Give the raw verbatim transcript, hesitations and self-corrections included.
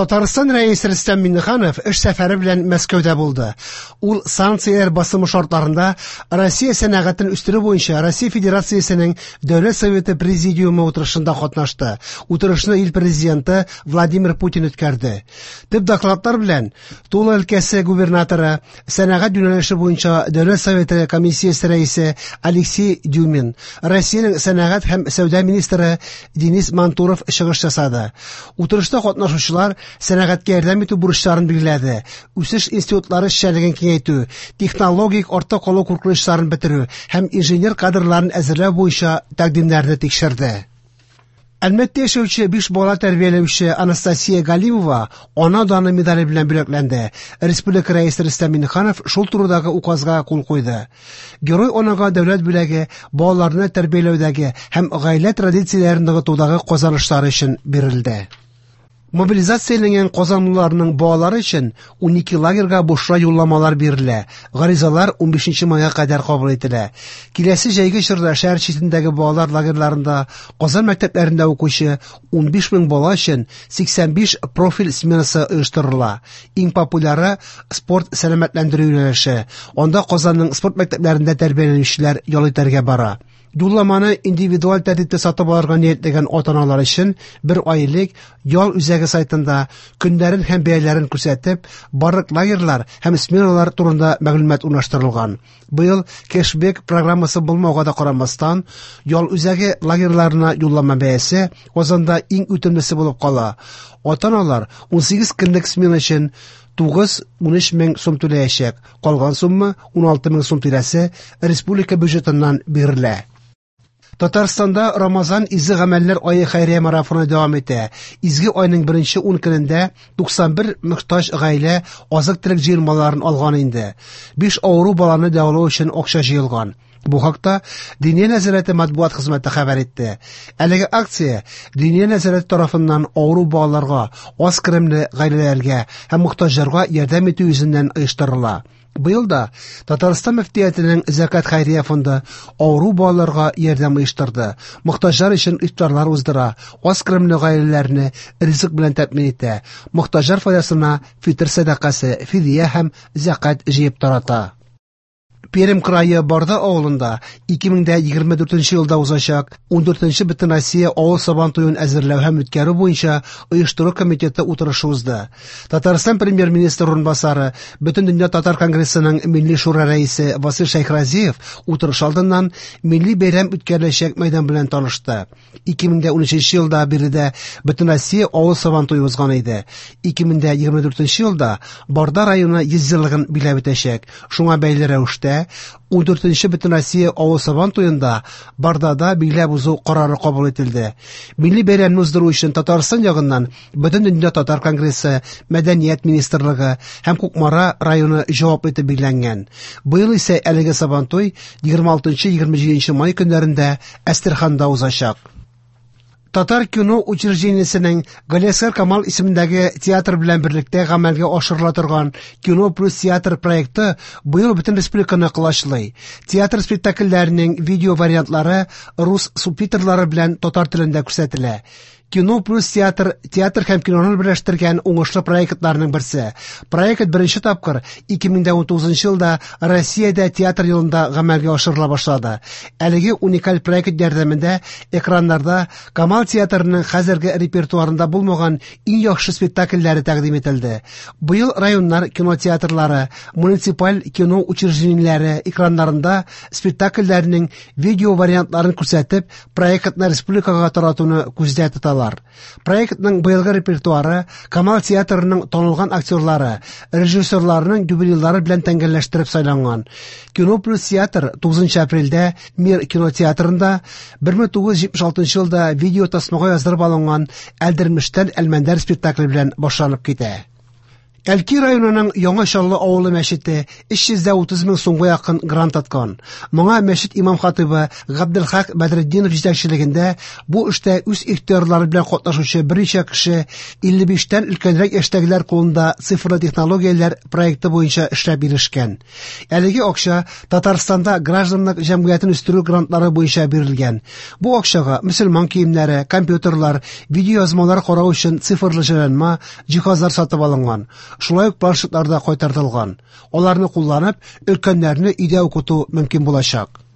Татарстан Рәисе Рөстәм Миңнеханов эш сәфәре белән Мәскәүдә булды. Ул санкцияләр басымы шартларында Россия сәнәгатен үстерү буенча Россия Федерациясенең Дәүләт Советы Президиумы утырышында катнашты. Утырышны ил президенты Владимир Путин үткәрде. Төп докладлар белән Тула өлкәсе губернаторы, сәнәгать юнәлеше буенча Дәүләт Советы комиссиясе рәисе Алексей Дюмин, Россиянең сәнәгать һәм сәүдә министры Денис Мантуров чыгыш ясады. Утырышта катнашучылар сәнәгатькә ярдәм итү бурычларын билгеләде. Үсеш институтлары эшчәнлеген киңәйтү, технологик артта калу куркынычларын бетерү һәм инженер кадрларын әзерләү буенча тәкъдимнәрне тикшерде. Әлмәттә яшәүче биш бала тәрбияләүче Анастасия Галимова Ана даны медале белән бүләкләнде. Республика Рәисе Рөстәм Миңнеханов шул турыдагы указга кул куйды. Герой анага дәүләт бүләге балаларны тәрбияләүдәге һәм гаилә традицияләрен ныгытудагы казанышлары өчен бирелде. Мобилизацияләнгән казанлыларның балалары өчен унике лагерьга бушлай юлламалар бирелә. Гаризалар унбишенче майга кадәр кабул ителә. Киләсе җәйге чорда шәһәр читендәге балалар лагерьларында Казан мәктәпләрендә укучы унбиш мең бала өчен сиксән биш профиль сменасы оештырыла. Иң популяры спорт сәламәтләндерү юнәлеше. Анда Казанның спорт мәктәпләрендә тәрбияләнүчеләр ял итәргә бара. Юлламаны индивидуаль тәртиптә сатып алырга ниятләгән ата-аналар өчен бер ай элек ял үзәге сайтында көннәрен һәм бәяләрен күрсәтеп, барлык лагерьлар һәм сменалар турында мәгълүмат урнаштырылган. Быел кэшбэк программасы булмауга да карамастан, ял үзәге лагерьларына юллама бәясе Казанда иң үтемлесе булып кала. Ата-аналар унсигез көнлек смена өчен тугыз унөч мең сум түләячәк. Калган сумма уналты мең сум тирәсе республика бюджетыннан бирелә. Татарстанда Рамазан изге гамәлләр ае хәйрия марафоны дәвам итә. Изге айның беренче ун көнендә туксан бер мохтаҗ гаилә азык-төлек җыелмаларын алган инде. Биш авыру баланы дәвалау өчен акча җыелган. Бу хакта Диния нәзарәте матбугат хезмәте хәбәр итте. Әлеге акция Диния нәзарәте тарафыннан авыру балаларга, аз керемле гаиләләргә һәм мохтаҗларга ярдәм итү йөзеннән оештырыла. Быел да Татарстан мөфтиятенең Зәкят хәйрия фонды авыру балаларга ярдәм оештырды. Мохтаҗлар өчен ифтарлар уздыра, аз керемле гаиләләрне ризык белән тәэмин итә. Мохтаҗлар файдасына фитр сәдакасы, фидия һәм зәкят җыеп тарата. Пермь крае Барда авылында ике мең дә егерме дүртенче елда узачак ундүртенче Бөтенроссия авыл сабан туен әзерләү һәм үткәрү буенча оештыру комитеты утырышы узды. Татарстан премьер-министры урынбасары, Бөтендөнья татар конгрессының Милли шура рәисе Васил Шәйхразиев утырыш алдыннан милли бәйрәм үткәреләчәк мәйдан белән танышты. Ике мең дә унөченче елда биредә Бөтенроссия авыл сабан туе узган иде. Ике мең дә егерме дүртенче елда Барда районы йөз еллыгын биләп үтәчәк. Шуңа бәйле рәвештә ундүртенче Бөтенроссия авыл сабан туенда Бардада биләп узу карары кабул ителде. Милли бәйрәмне уздыру өчен Татарстан ягыннан Бөтендөнья татар конгрессы, Мәдәният министрлыгы һәм Кукмара районы җавап итеп билгеләнгән. Быел исә әлеге сабантуй егерме алтынчы егерме җиденче май көннәрендә Әстерханда узачак. Татар кино учреждениесенең Галиәсгар Камал исемендәге театр белән берлектә гамәлгә ашырыла торган Кино плюс театр проекты быел бөтен республиканы колачлый. Театр спектакльләренең видео вариантлары рус субтитрлары белән татар телендә күрсәтелә. Кино плюс театр, театр һәм киноны берләштергән уңышлы проектларның берсе. Проект беренче тапкыр ике мең дә унтугызынчы елда Россиядә театр елында гамәлгә ашырыла башлады. Әлеге уникаль проект ярдәмендә экраннарда Камал театрының хәзерге репертуарында булмаган иң яхшы спектакльләре тәкъдим ителде. Быел районнар кинотеатрлары, муниципаль кино учреждениеләре экраннарында спектакльләрнең видео вариантларын күрсәтеп, проектны республикага таратуны күздә тоталар. Проектның быелгы репертуары Камал театрының танылган актерлары, режиссерларының юбилейлары белән тәңгәлләштереп сайланган. Кино плюс театр тугызынчы апрельдә Мир кинотеатрында бер мең тугыз йөз җитмеш алтынчы елда видео тасмага яздырып алынган Әлдермештән Әлмәндәр спектакле белән башланып китә. Әлки районының Яңа Чаллы авылы мәчете өч йөз дә утыз мең сумга якын грант откан. Моңа мәчет имам-хатыйбы Габделхак Бәдретдинов җитәкчелегендә бу эштә үз ихтыярлары белән катнашучы берничә кеше илле биштән өлкәнрәк яшьтәгеләр кулында цифрлы технологияләр проекты буенча эшләп ирешкән. Әлеге акча Татарстанда гражданлык җәмгыятен үстерү грантлары буенча бирелгән. Бу акчага мөселман киемнәре, компьютерлар, видеоязмалар карау өчен цифрлы җайланма, җиһазлар сатып алынган. Шулай ук планшетлар да кайтартылган. Аларны кулланып, өлкәннәрне өйдә укыту мөмкин булачак.